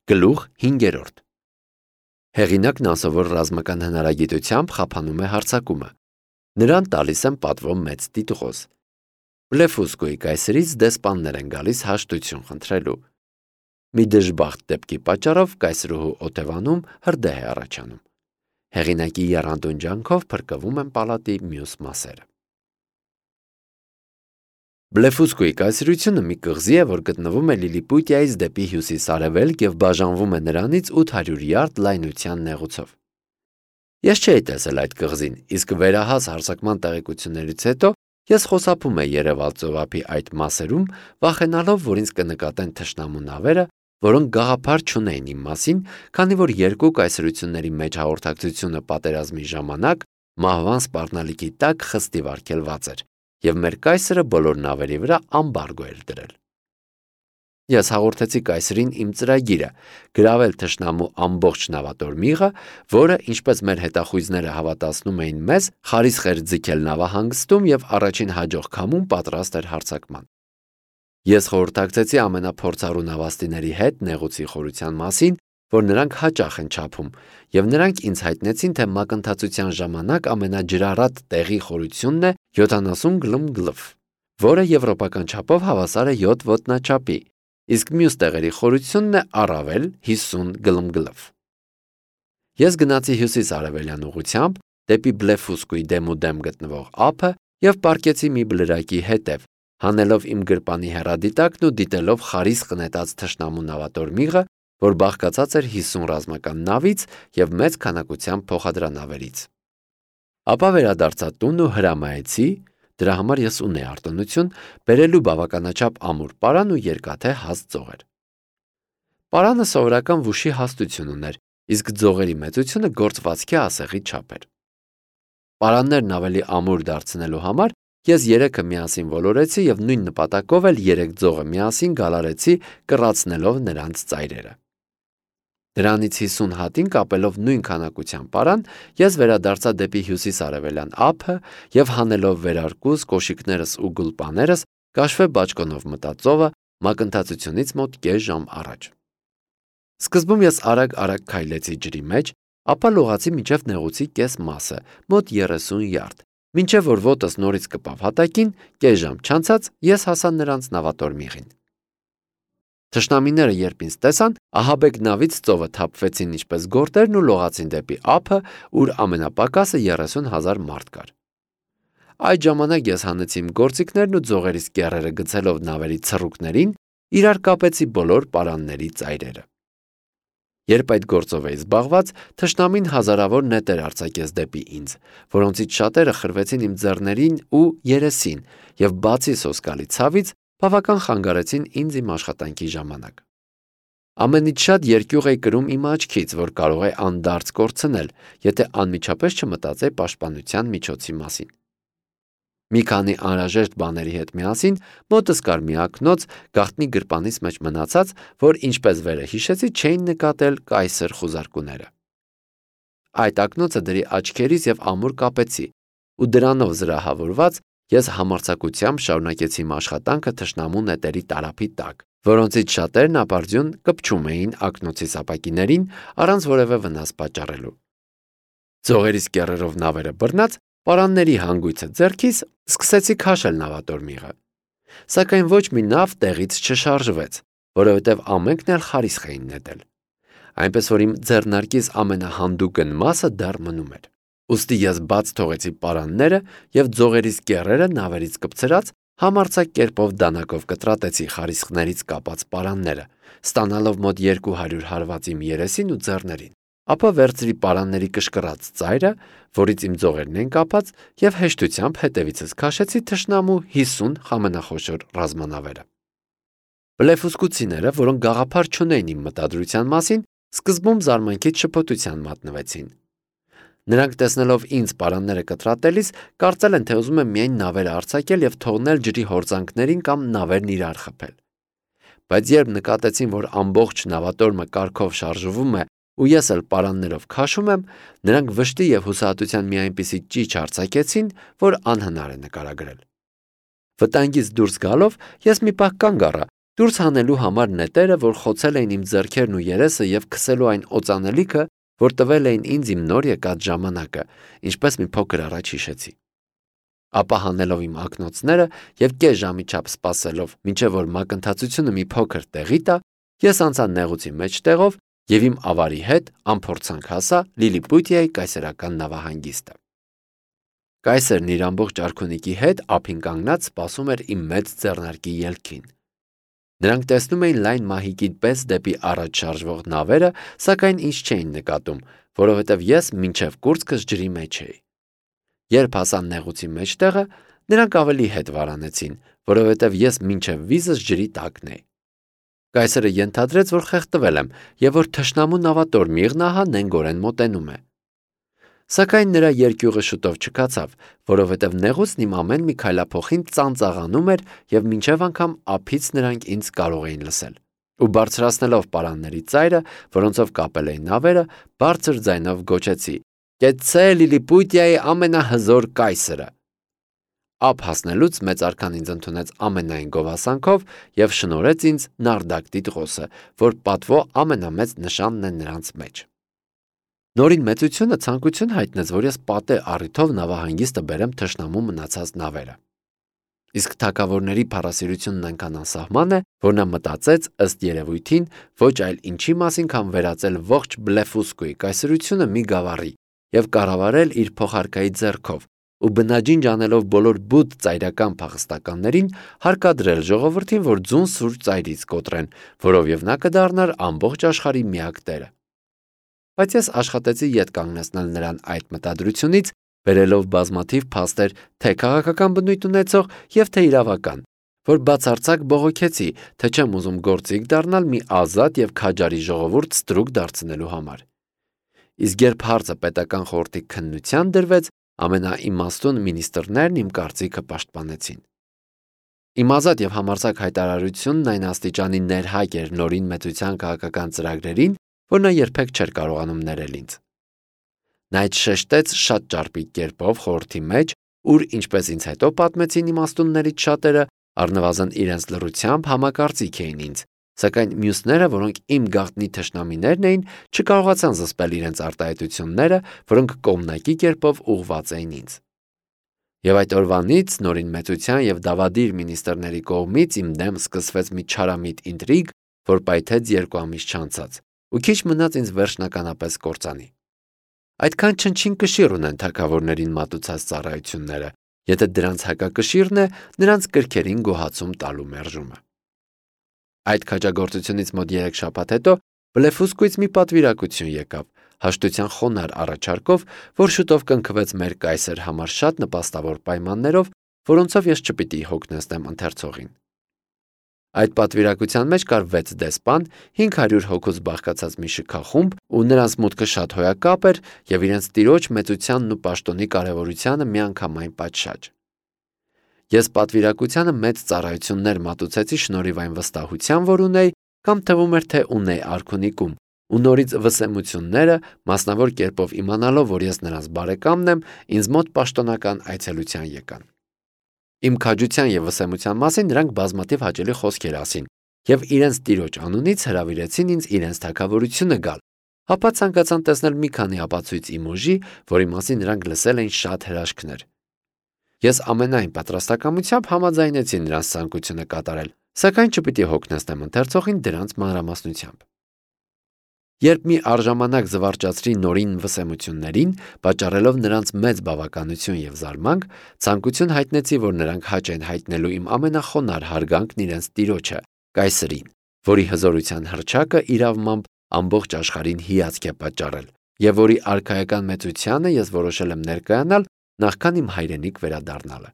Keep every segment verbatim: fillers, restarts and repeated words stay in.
Գլուխ հինգերորդ Հեղինակն անսովոր ռազմական հնարագիտությամբ խափանում է հարձակումը։ Նրան տալիս են պատվո մեծ տիտղոս։ Բլեֆուսկոյի կայսրից դեսպաններ են գալիս հաշտություն խնդրելու։ Մի դժբախտ դեպքի պատճառով կայսրուհու օթևանում հրդեհ է առաջանում։ Հեղինակի եռանդուն ջանքով փրկվում են պալատի մյուս մասերը։ Բլեֆուսկոյի կայսրությունը մի կղզի է, որ գտնվում է Լիլիպուտիայից դեպի հյուսիս-արևելք և բաժանվում է նրանից ութ հարյուր յարդ լայնության նեղուցով։ Ես չէի տեսել այդ կղզին, իսկ վերահաս հարձակման տեղեկություններից հետո ես խոսափում էի Երևալ ծովափի այդ մասերում, վախենալով, որ ինձ կնկատեն թշնամու նավերը, որոնք գաղափար չունեին իմ մասին, քանի որ երկու կայսրությունների մեջ հաղորդակցությունը պատերազմի ժամանակ մահվան սպառնալիքի տակ խստիվ արգելված էր, և մեր կայսրը բոլոր նավերի վրա ամբարգո էր դրել։ Ես հաղորդեցի կայսրին իմ ծրագիրը՝ գրավել թշնամու ամբողջ նավատորմիղը, որը, ինչպես մեր հետախույզները հավատացնում էին մեզ, խարիսխ էր ձգել նավահանգստում և առաջին հաջող քամում պատրաստ էր հարձակման։ Ես խորհրդակցեցի ամենափորձառու նավաստիների հետ նեղուցի խորության մասին, որ նրանք հաճախ են չափում, և նրանք ինձ հայտնեցին, թե մակընթացության ժամանակ ամենաջրառատ տեղի խորությունն է յոթանասուն գլմ-գլֆ, որը եվրոպական չափով հավասար է յոթ ոտնաչափի, իսկ մյուս տեղերի խորությունն է առավել հիսուն գլմ-գլֆ։ Ես գնացի հյուսիս-արևելյան ուղղությամբ, դեպի Բլեֆուսկոյի դեմուդեմ գտնվող ափը և պառկեցի մի բլրակի հետև, հանելով իմ գրպանի հեռադիտակն ու դիտելով խարիսխ նետած թշնամու նավատորմիղը, որ բաղկացած էր հիսուն ռազմական նավից և մեծ քանակությամբ փոխադրանավերից։ Ապա վերադարձա տուն ու հրամայեցի, դրա համար ես ունեի արտոնություն, բերելու բավականաչափ ամուր պարան ու երկաթե հաստ ձողեր։ Պարանը սովորական վուշի հաստություն ուներ, իսկ ձողերի մեծությունը գործվածքի ասեղի չափ էր։ Պարաններն ավելի ամուր դարձնելու համար ես երեքը միասին ոլորեցի և նույն նպատակով էլ երեք ձողը միասին գալարեցի, կռացնելով նրանց ծայրերը։ Դրանից հիսուն հատին կապելով նույն քանակությամբ պարան, ես վերադարձա դեպի հյուսիս-արևելյան ափը և հանելով վերարկուս, կոշիկներս ու գուլպաներս, կաշվե բաճկոնով մտա ծովը մակընթացությունից մոտ կես ժամ առաջ։ Սկզբում ես արագ-արագ քայլեցի ջրի մեջ, ապա լողացի մինչև նեղուցի կես մասը, մոտ երեսուն յարդ, մինչև որ ոտս նորից կպավ հատակին, կես ժամ չանցած ես հասա նրանց նավատորմիղին։ Թշնամիները երբ ինձ տեսան, ահաբեկ նավից ծովը թափվեցին ինչպես գորտերն ու լողացին դեպի ափը, ուր ամենապակասը երեսուն հազար մարդ կար։ Այդ ժամանակ ես հանեցի իմ գործիքներն ու ձողերիս կեռերը գցելով նավերի ցռուկներին, իրար կապեցի բոլոր պարանների ծայրերը։ Երբ այդ գործով էի զբաղված, թշնամին հազարավոր նետեր արձակեց դեպի ինձ, որոնցից շատերը խրվեցին իմ ձեռներին ու երեսին և բացի սոսկալի ցավից, բավական խանգարեցին ինձ իմ աշխատանքի ժամանակ։ Ամենից շատ երկյուղ էի կրում իմ աչքից, որ կարող է անդարձ կորցնել, եթե անմիջապես չմտածեի պաշտպանության միջոցի մասին։ Մի քանի անհրաժեշտ բաների հետ միասին մոտս կար մի ակնոց գաղտնի գրպանիս մեջ մնացած, որ ինչպես վերը հիշեցի, չէին նկատել կայսր խուզարկուները։ Այդ ակնոցը դրի աչքերիս և ամուր կապեցի, ու դրանով զրահավորված ես համարձակությամբ շարունակեցի իմ աշխատանքը թշնամու նետերի տարափի տակ, որոնցից շատերն ապարդյուն կպչում էին ակնոցի սապակիներին առանց որևէ վնաս պատճառելու։ Ձողերիս կեռերով նավերը բռնած, պարանների հանգույցը ձեռքիս, սկսեցի քաշել նավատորմիղը։ Սակայն ոչ մի նավ տեղից չշարժվեց, որովհետև ամենքն էլ խարիսխ էին նետել։ Այնպես որ իմ ձեռնարկիս ամենահանդուգն մասը դեռ մնում էր։ Ուստի ես բաց թողեցի պարանները և ձողերիս կեռերը նավերից կպցրած համարձակ կերպով դանակով կտրատեցի խարիսխներից կապած պարանները, ստանալով մոտ երկու հարյուր հարված իմ երեսին ու ձեռներին, ապա վերցրի պարանների կշկռած ծայրը, որից իմ ձողերն էին կապած, և հեշտությամբ հետևիցս քաշեցի թշնամու հիսուն ամենախոշոր ռազմանավերը։ Բլեֆուսկուցիները, որոնք գաղափար չունեին իմ մտադրության մասին, սկզբում զարմանքից շփոթության մատնվեցին։ Նրանք տեսնելով ինձ պարանները կտրատելիս, կարծել են, թե ուզում եմ միայն նավերը արձակել և թողնել ջրի հորձանքներին կամ նավերն իրար խփել։ Բայց երբ նկատեցին, որ ամբողջ նավատորմը կարգով շարժվում է ու ես էլ պարաններով քաշում եմ, նրանք վշտի և հուսահատության մի այնպիսի ճիչ արձակեցին, որ անհնար է նկարագրել։ Վտանգից դուրս գալով ես մի պահ կանգ առա, Դուրս հանելու համար նետերը, որ խոցել էին իմ ձեռքերն ու երեսը եւ քսելու այն օծանելիքը, որ տվել էին ինձ իմ նոր եկած ժամանակը, ինչպես մի փոքր առաջ հիշեցի։ Ապա հանելով իմ ակնոցները եւ կես ժամի չափ սպասելով, մինչեւ որ մակընթացությունը մի փոքր տեղի տա, ես անցա նեղուցի մեջտեղով եւ իմ ավարի հետ անփորձանք հասա Լիլիպուտիայի կայսերական նավահանգիստը։ Կայսերն իր ամբողջ արքունիքի հետ ափին կանգնած սպասում էր իմ մեծ ձեռնարկի ելքին։ Նրանք տեսնում էին լայն մահիկի պես դեպի առաջ շարժվող նավերը, սակայն ինձ չէին նկատում, որովհետև ես մինչև կուրծքս ջրի մեջ էի։ Երբ հասան նեղուցի մեջտեղը, նրանք ավելի հետ վարանեցին, որովհետև ես մինչև վիզս ջրի տակն էի։ Կայսերը ենթադրեց, որ խեղդվել եմ եւ որ թշնամու նավատոր Միղնահը նենգորեն մոտենում է։ Սակայն նրա երկյուղը շուտով չկացավ, որովհետև նեղուցն իմ ամեն մի քայլափոխին ծանծաղանում էր եւ մինչեւ անգամ ափից նրանք ինձ կարող էին լսել։ Ու բարձրացնելով պարանների ծայրը, որոնցով կապել էին նավերը, բարձր ձայնով գոչեցի. «Կեցցե Լիլիպուտիայի ամենահզոր կայսերը»։ Ափ հասնելուց մեծ արքան ինձ ընդունեց ամենայն գովասանքով եւ շնորհեց ինձ նարդակ տիտղոսը, որ պատվո ամենամեծ նշանն է նրանց մեջ։ Նորին մեծությունը ցանկություն հայտնեց, որ ես պատե առիթով նավահանգիստը բերեմ թշնամու մնացած նավերը։ Իսկ թագավորների փառասիրությունն այնքան անսահման է, որ նա մտածեց ըստ երևույթին ոչ այլ ինչի մասին, քան վերածել ողջ Բլեֆուսկուի կայսրությունը մի գավառի եւ կառավարել իր փոխարկայի ձեռքով, ու բնաջինջ անելով բոլոր բուտ ծայրական փախստականներին հարկադրել ժողովրդին, որ ձուն սուր ծայրից կոտրեն, որով եւ նա կդառնար ամբողջ աշխարհի միակ տերը։ Բայց ես աշխատեցի ետ կանգնեցնել նրան այդ մտադրությունից, բերելով բազմաթիվ փաստեր թե քաղաքական բնույթ ունեցող եւ թե իրավական, որ բացարձակ բողոքեցի, թե չեմ ուզում գործիք դառնալ մի ազատ եւ քաջարի ժողովուրդ ստրուկ դարձնելու համար։ Իսկ երբ հարցը պետական խորհրդի քննության դրվեց, ամենաիմաստուն մինիստրներն իմ կարծիքը պաշտպանեցին։ Իմ ազատ եւ համարձակ հայտարարությունն այն աստիճանի ներհայտ էր նորին մեծության քաղաքական ծրագրերին, որ նա երբեք չէր կարողանում ներել ինձ։ Նա այդ շեշտեց շատ ճարպիկ կերպով խորհրդի մեջ, ուր, ինչպես ինձ հետո պատմեցին իմաստուններից շատերը, առնվազն իրենց լռությամբ համակարծիք էին ինձ, սակայն մյուսները, որոնք իմ գաղտնի թշնամիներն էին, չկարողացան զսպել իրենց արտահայտությունները, որոնք կողմնակի կերպով ուղղված էին ինձ։ Եվ այդ օրվանից նորին մեծության եւ դավադիր մինիստրների կողմից իմ դեմ սկսվեց մի չարամիտ ինտրիգ, որ պայթեց երկու ամիս չանցած, ու քիչ մնաց ինձ վերջնականապես կործանի։ Այդքան չնչին կշիռ ունեն թագավորներին մատուցած ծառայությունները, եթե դրանց հակակշիռն է նրանց կրքերին գոհացում տալու մերժումը։ Այդ քաջագործությունից մոտ երեք շաբաթ հետո Բլեֆուսկուից մի պատվիրակություն եկավ, հաշտության խոնարհ առաջարկով, որ շուտով կնքվեց մեր կայսեր համար շատ նպաստավոր պայմաններով, որոնցով ես չպիտի հոգնեցնեմ ընթերցողին։ Այդ պատվիրակության մեջ կար վեց դեսպան, հինգ հարյուր հոգուց բաղկացած մի շքախումբ, ու նրանց մուտքը շատ հոյակապ էր եւ իրենց տիրոջ մեծությանն ու պաշտոնի կարեւորությանը միանգամայն պատշաճ։ Ես պատվիրակությանը մեծ ծառայություններ մատուցեցի շնորհիվ այն վստահության, որ ունեի, կամ թվում էր, թե ունեի արքունիկում, ու նորից վսեմությունները, մասնավոր կերպով իմանալով, որ ես նրանց բարեկամն եմ, ինձ մոտ պաշտոնական այցելության եկան։ Իմ քաջության եւ վսեմության մասին նրանք բազմաթիվ հաճելի խոսքեր ասին եւ իրենց տիրոջ անունից հրավիրեցին ինձ իրենց թագավորությունը գալ, ապա ցանկացան տեսնել մի քանի ապացույց իմ ուժի, որի մասին նրանք լսել էին շատ հրաշքներ։ Ես ամենայն պատրաստակամությամբ համաձայնեցի նրանց ցանկությունը կատարել, սակայն չպիտի հոգնեցնեմ ընթերցողին դրանց մանրամասնությամբ։ Երբ մի արժանանակ զվարճացրի նորին վսեմություններին, պատճառելով նրանց մեծ բավականություն եւ զարմանք, ցանկություն հայտնեցի, որ նրանք հաճ են հայտնելու իմ ամենախոնար հարգանքն իրենց տիրոջը, կայսրին, որի հզորության հռչակը իրավմամբ ամբողջ աշխարհին հիացք է պատճառել, եւ որի արքայական մեծությանը ես որոշել եմ ներկայանալ նախքան իմ հայրենիք վերադառնալը։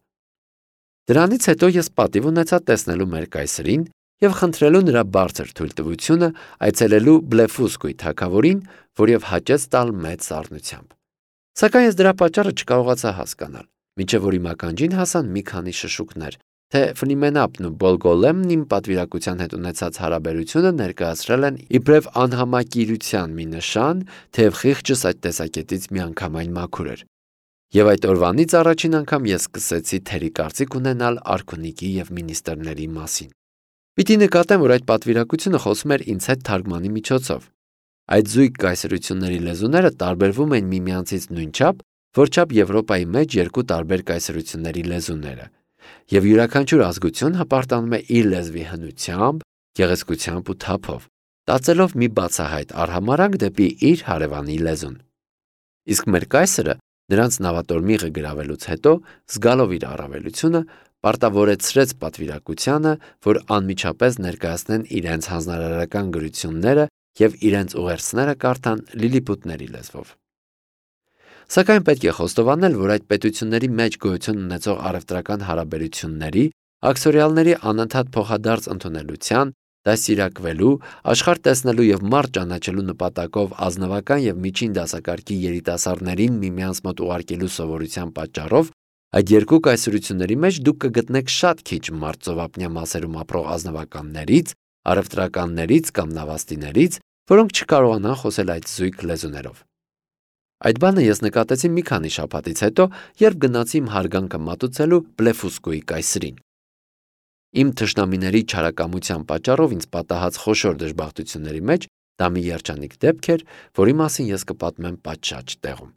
Դրանից հետո ես պատիվ ունեցա տեսնելու մեր կայսրին եւ խնդրելու նրա բարձր թույլտվությունը այցելելու Բլեֆուսկուի թագավորին, որև հաճեց տալ մեծ սառնությամբ։ Սակայն ես դրա պատճառը չկարողացա հասկանալ, մինչև որ իմ ականջին հասան մի քանի շշուկներ, թե Ֆլիմենապն ու Բոլգոլեմն իմ պատվիրակության հետ ունեցած հարաբերությունը ներկայացրել են իբրև անհամակիրության մի նշան, թեև խիղճս այդ տեսակետից միանգամայն մաքուր էր։ Եվ այդ օրվանից առաջին անգամ ես սկսեցի թերի կարծիք ունենալ արքունիքի եւ մինիստրների մասին։ Պիտի նկատեմ, որ այդ պատվիրակությունը խոսում էր ինձ հետ թարգմանի միջոցով։ Այդ զույգ կայսրությունների լեզուները տարբերվում են միմյանցից նույնչափ, որչափ Եվրոպայի մեջ երկու տարբեր կայսրությունների լեզուները, եւ յուրաքանչյուր ազգություն հպարտանում է իր լեզվի հնությամբ, գեղեցկությամբ ու թափով, տածելով մի բացահայտ արհամարհանք դեպի իր հարևանի լեզուն։ Իսկ մեր կայսրը նրանց նավատորմիղը գրավելուց հետո, զգալով իր առավելությունը, պարտավորեցրեց պատվիրակությանը, որ անմիջապես ներկայացնեն իրենց հանձնարարական գրությունները եւ իրենց ուղերձները կարդան լիլիպուտների լեզվով։ Սակայն պետք է խոստովանել, որ այդ պետությունների մեջ գոյություն ունեցող առևտրական հարաբերությունների, աքսորիալների անընդհատ փոխադարձ ընդունելության, դաստիարակվելու, աշխարհ տեսնելու եւ մարդ ճանաչելու նպատակով ազնվական եւ միջին դասակարգի երիտասարդներին միմյանց մոտ ուղարկելու սովորության պատճառով այդ երկու կայսրությունների մեջ դուք կգտնեք շատ քիչ մարդ-ծովափնյա մասերում ապրող ազնվականներից, առևտրականներից կամ նավաստիներից, որոնք չկարողանան խոսել այդ զույգ լեզուներով։ Այդ բանը ես նկատեցի մի քանի շաբաթից հետո, երբ գնացի իմ հարգանքը մատուցելու Բլեֆուսկոյի կայսրին։ Իմ թշնամիների չարակամության պատճառով ինձ պատահած խոշոր դժբախտությունների մեջ դա մի երջանիկ դեպք էր, որի մասին ես կպատմեմ պատշաճ տեղում։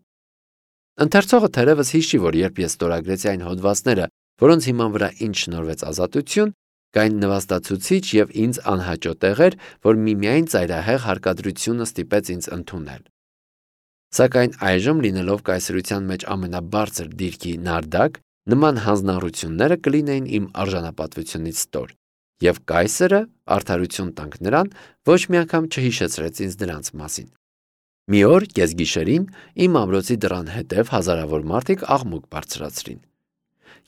Ընթերցողը թերևս հիշի, որ երբ ես ստորագրեցի այն հոդվածները, որոնց հիման վրա ինձ շնորհվեց ազատություն, կային նվաստացուցիչ եւ ինձ անհաճո տեղեր, որ միմիայն ծայրահեղ հարկադրությունը ստիպեց ինձ ընդունել։ Սակայն այժմ լինելով կայսրության մեջ ամենաբարձր դիրքի նարդակ, նման հանձնառությունները կլինեին իմ արժանապատվությունից ստոր, եւ կայսրը, արդարություն տանք նրան, ոչ մի անգամ չհիշեցրեց ինձ դրանց մասին։ Մի օր կեսգիշերին իմ ամրոցի դռան հետև հազարավոր մարդիկ աղմուկ բարձրացրին։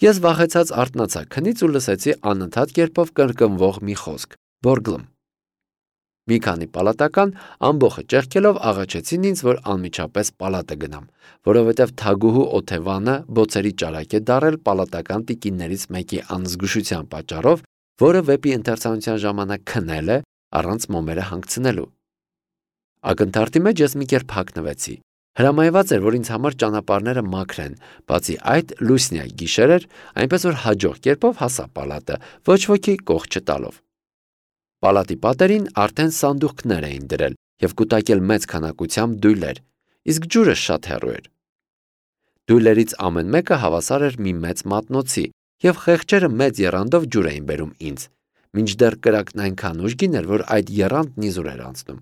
Ես վախեցած արթնացա քնից ու լսեցի անընդհատ կերպով կրկնվող մի խոսք՝ բորգլմ։ Մի քանի պալատական ամբողը ճեղքելով աղաչեցին ինձ, որ անմիջապես պալատը գնամ, որովհետև թագուհու Օթևանը բոցերի ճարակ է դարել պալատական տիկիններից մեկի անզգուշության պատճառով, որը վեպի ընթերցանության ժամանակ քնել է առանց մոմերը հանգցնելու։ Ակնթարթի մեջ ես մի կերպ հագնվեցի։ Հրամայված էր, որ ինձ համար ճանապարհները մաքրեն, բացի այդ լուսնյա գիշեր էր, այնպես որ հաջող կերպով հասա պալատը, ոչ ոքի կող չտալով։ Պալատի պատերին արդեն սանդուղքներ էին դրել եւ կուտակել մեծ քանակությամբ դույլեր, իսկ ջուրը շատ հեռու էր։ Դույլերից ամեն մեկը հավասար էր մի մեծ մատնոցի եւ խեղճերը մեծ եռանդով ջուր էին բերում ինձ, մինչդեռ կրակն այնքան ուժգին էր, որ այդ եռանդն իզուր էր անցնում։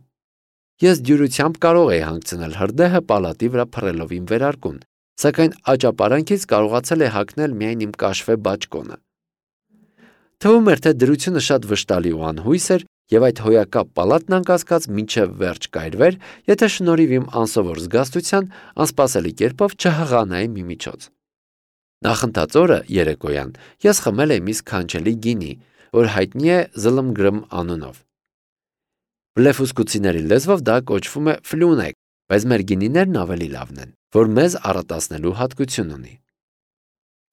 Ես դյուրությամբ կարող էի հանգցնել հրդեհը պալատի վրա փռելով իմ վերարկուն, սակայն աճապարանքից կարողացել է հագնել միայն իմ կաշվե բաճկոնը։ Թվում էր, թե դրությունը շատ վշտալի ու անհույս էր, եւ այդ հոյակապ պալատն անկասկած մինչև վերջ կայրվեր, եթե շնորհիվ իմ անսովոր զգաստության անսպասելի կերպով չհղանայի մի միջոց։ Նախընթաց օրը երեկոյան ես խմել էի մի սքանչելի գինի, որ հայտնի է Զլմգրմ անունով։ Բլեֆուսկուցիների լեզվով դա կոչվում է ֆլյունեկ, բայց մեր գինիներն ավելի լավն են, որ մեզ առատացնելու հատկություն ունի։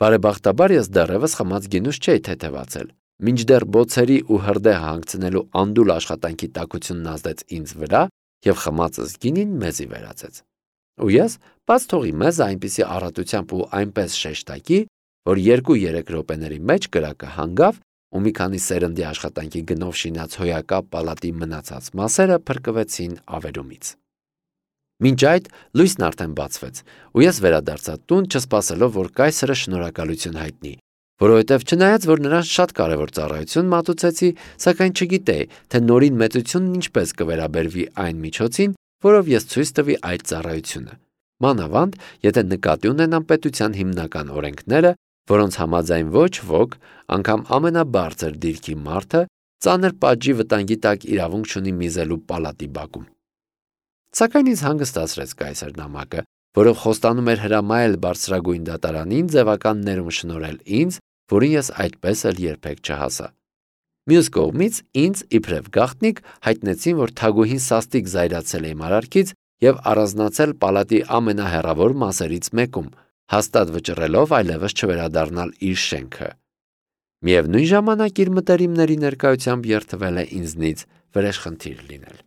Բարեբախտաբար ես դեռևս խմած գինուս չէի թեթևացել, մինչդեռ բոցերի ու հրդեհ հանգցնելու անդուլ աշխատանքի տաքությունն ազդեց ինձ վրա եւ խմածս գինին մեզի վերածեց։ Ու ես բաց թողի մեզ այնպիսի առատությամբ ու այնպես շեշտակի, որ երկու-երեք րոպեների մեջ կրակը հանգավ ու մի քանի սերնդի աշխատանքի գնով շինած հոյակապ պալատի մնացած մասերը փրկվեցին ավերումից։ Մինչ այդ լույսն արդեն բացվեց, ու ես վերադարձա տուն, չսպասելով, որ կայսրը շնորհակալություն հայտնի, որովհետև չնայած որ նրան շատ կարևոր ծառայություն մատուցեցի, սակայն չգիտեի, թե նորին մեծությունն ինչպես կվերաբերվի այն միջոցին, որով ես ցույց տվի այդ ծառայությունը։ Մանավանդ, եթե նկատի ունենամ պետության հիմնական օրենքները, որոնց համաձայն ոչ ոք, անգամ ամենաբարձր դիրքի մարդը, ծանր պատժի վտանգի տակ իրավունք չունի միզելու պալատի բակում։ Սակայն ինձ հանգստացրեց կայսր նամակը, որով խոստանում էր հրամայել բարձրագույն դատարանին ձևական ներում շնորհել ինձ, որին ես այդպես էլ երբեք չհասա։ Մյուս կողմից ինձ իբրև գաղտնիք հայտնեցին, որ թագուհին սաստիկ զայրացել է իմ արարքից եւ առանձնացել պալատի ամենահեռավոր մասերից մեկում, հաստատ վճռելով այլևս չվերադառնալ իր շենքը։ Միևնույն ժամանակ իր մտերիմների ներկայությամբ երդվել է ինձնից վրեժխնդիր լինել։